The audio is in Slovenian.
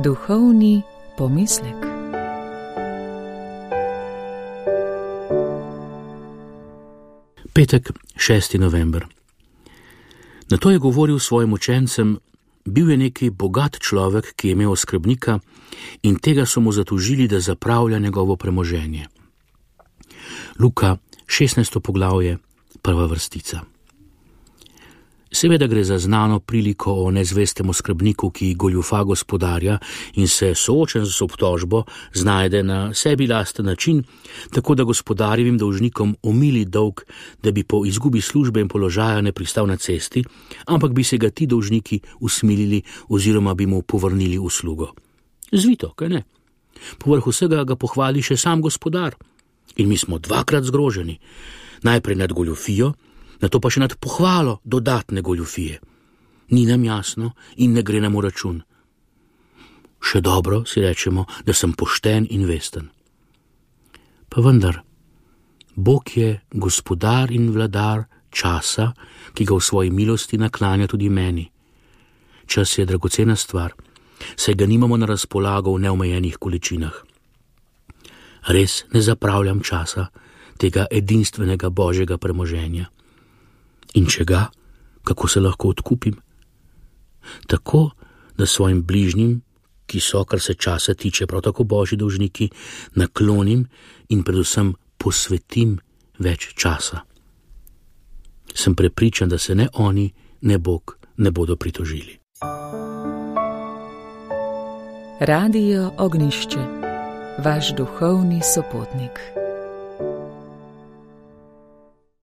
Duhovni pomislek. Petek, 6. november. Na to je govoril svojim učencem: bil je neki bogat človek, ki je imel oskrbnika, in tega so mu zatožili, da zapravlja njegovo premoženje. Luka, 16. poglavje, 1. vrstica. Seveda gre za znano priliko o nezvestem oskrbniku, ki goljufa gospodarja in se, soočen z obtožbo, znajde na sebi lasten način, tako da gospodarjevim dolžnikom omili dolg, da bi po izgubi službe in položaja ne pristal na cesti, ampak bi se ga ti dolžniki usmilili oziroma bi mu povrnili uslugo. Zvito, kaj ne? Povrh vsega ga pohvali še sam gospodar. In mi smo dvakrat zgroženi. Najprej nad goljufijo, nato pa še nad pohvalo dodatne goljufije. Ni nam jasno in ne gre nam v račun. Še dobro, si rečemo, da sem pošten in vesten. Pa vendar, Bog je gospodar in vladar časa, ki ga v svoji milosti naklanja tudi meni. Čas je dragocena stvar, saj ga nimamo na razpolago v neomejenih količinah. Res ne zapravljam časa, tega edinstvenega božjega premoženja. In če ga, kako se lahko odkupim? Tako, da svojim bližnjim, ki so, kar se časa tiče, prav tako božji dolžniki, naklonim in predvsem posvetim več časa. Sem prepričan, da se ne oni, ne Bog ne bodo pritožili. Radio Ognjišče, vaš duhovni sopotnik.